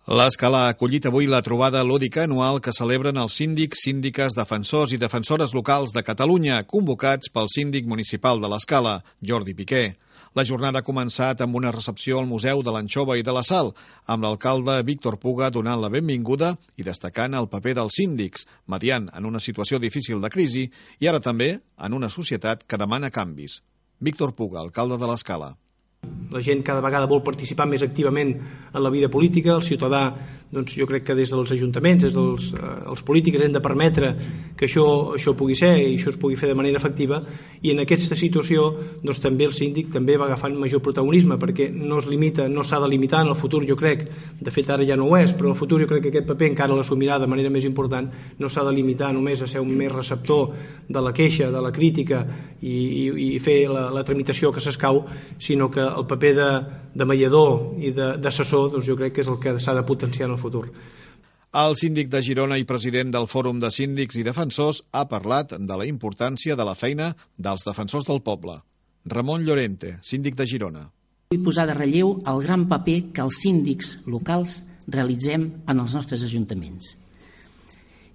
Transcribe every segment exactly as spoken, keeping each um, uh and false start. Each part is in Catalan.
L'Escala ha acollit avui la trobada lúdica anual que celebren els síndics, síndiques, defensors i defensores locals de Catalunya, convocats pel síndic municipal de l'Escala, Jordi Piqué. La jornada ha començat amb una recepció al Museu de l'Anxova i de la Sal, amb l'alcalde Víctor Puga donant la benvinguda i destacant el paper dels síndics, mediant en una situació difícil de crisi i ara també en una societat que demana canvis. Víctor Puga, alcalde de l'Escala. La gent cada vegada vol participar més activament en la vida política. El ciutadà, doncs, jo crec que des dels ajuntaments, des dels eh, els polítics hem de permetre que això, això pugui ser i això es pugui fer de manera efectiva, i en aquesta situació doncs, també el síndic també va agafant major protagonisme, perquè no es limita, no s'ha de limitar en el futur, jo crec, de fet ara ja no ho és, però en el futur jo crec que aquest paper encara l'assumirà de manera més important. No s'ha de limitar només a ser un més receptor de la queixa, de la crítica i, i, i fer la, la tramitació que s'escau, sinó que el paper de, de mediador i d'assessor, doncs jo crec que és el que s'ha de potenciar en el futur. El síndic de Girona i president del Fòrum de Síndics i Defensors ha parlat de la importància de la feina dels defensors del poble. Ramon Llorente, síndic de Girona. Vull posar de relleu el gran paper que els síndics locals realitzem en els nostres ajuntaments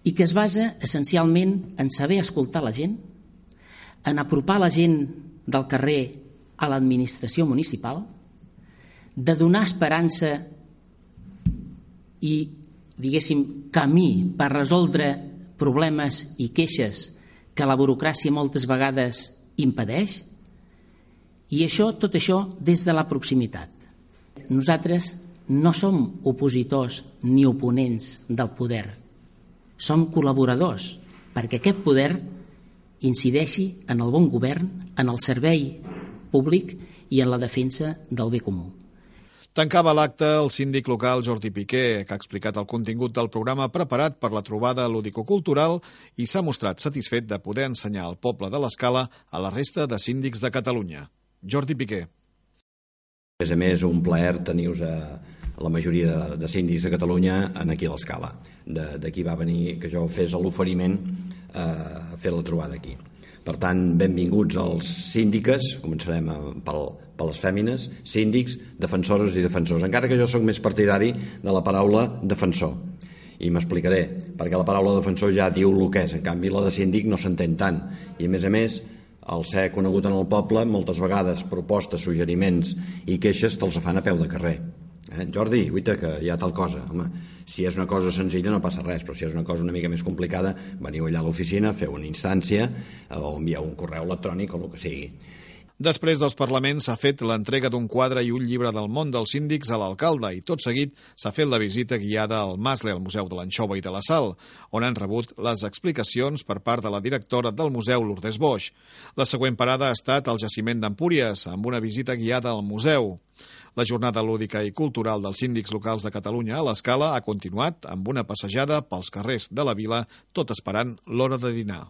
i que es basa essencialment en saber escoltar la gent, en apropar la gent del carrer a l'administració municipal, de donar esperança i, diguéssim, camí per resoldre problemes i queixes que la burocràcia moltes vegades impedeix, i això, tot això des de la proximitat. Nosaltres no som opositors ni oponents del poder, som col·laboradors perquè aquest poder incideixi en el bon govern, en el servei públic i en la defensa del bé comú. Tancava l'acte el síndic local Jordi Piqué, que ha explicat el contingut del programa preparat per la trobada lúdico-cultural i s'ha mostrat satisfet de poder ensenyar al poble de l'Escala a la resta de síndics de Catalunya. Jordi Piqué. A més a més, un plaer tenir-vos a la majoria de, de síndics de Catalunya aquí a l'Escala. D'aquí va venir que jo fes l'oferiment a fer la trobada aquí. Per tant, benvinguts als síndiques, començarem pel, per les fèmines, síndics, defensores i defensors, encara que jo sóc més partidari de la paraula defensor. I m'explicaré, perquè la paraula defensor ja diu el que és, en canvi la de síndic no s'entén tant. I a més a més, al ser conegut en el poble, moltes vegades propostes, suggeriments i queixes te'ls fan a peu de carrer. Eh? Jordi, guaita, que hi ha tal cosa. Home, si és una cosa senzilla no passa res, però si és una cosa una mica més complicada, veniu allà a l'oficina, feu una instància o envieu un correu electrònic o el que sigui. Després dels parlaments s'ha fet l'entrega d'un quadre i un llibre del món dels síndics a l'alcalde i tot seguit s'ha fet la visita guiada al Masle, al Museu de l'Anxova i de la Sal, on han rebut les explicacions per part de la directora del museu, Lourdes Boix. La següent parada ha estat al jaciment d'Empúries, amb una visita guiada al museu. La jornada lúdica i cultural dels síndics locals de Catalunya a l'Escala ha continuat amb una passejada pels carrers de la vila, tot esperant l'hora de dinar.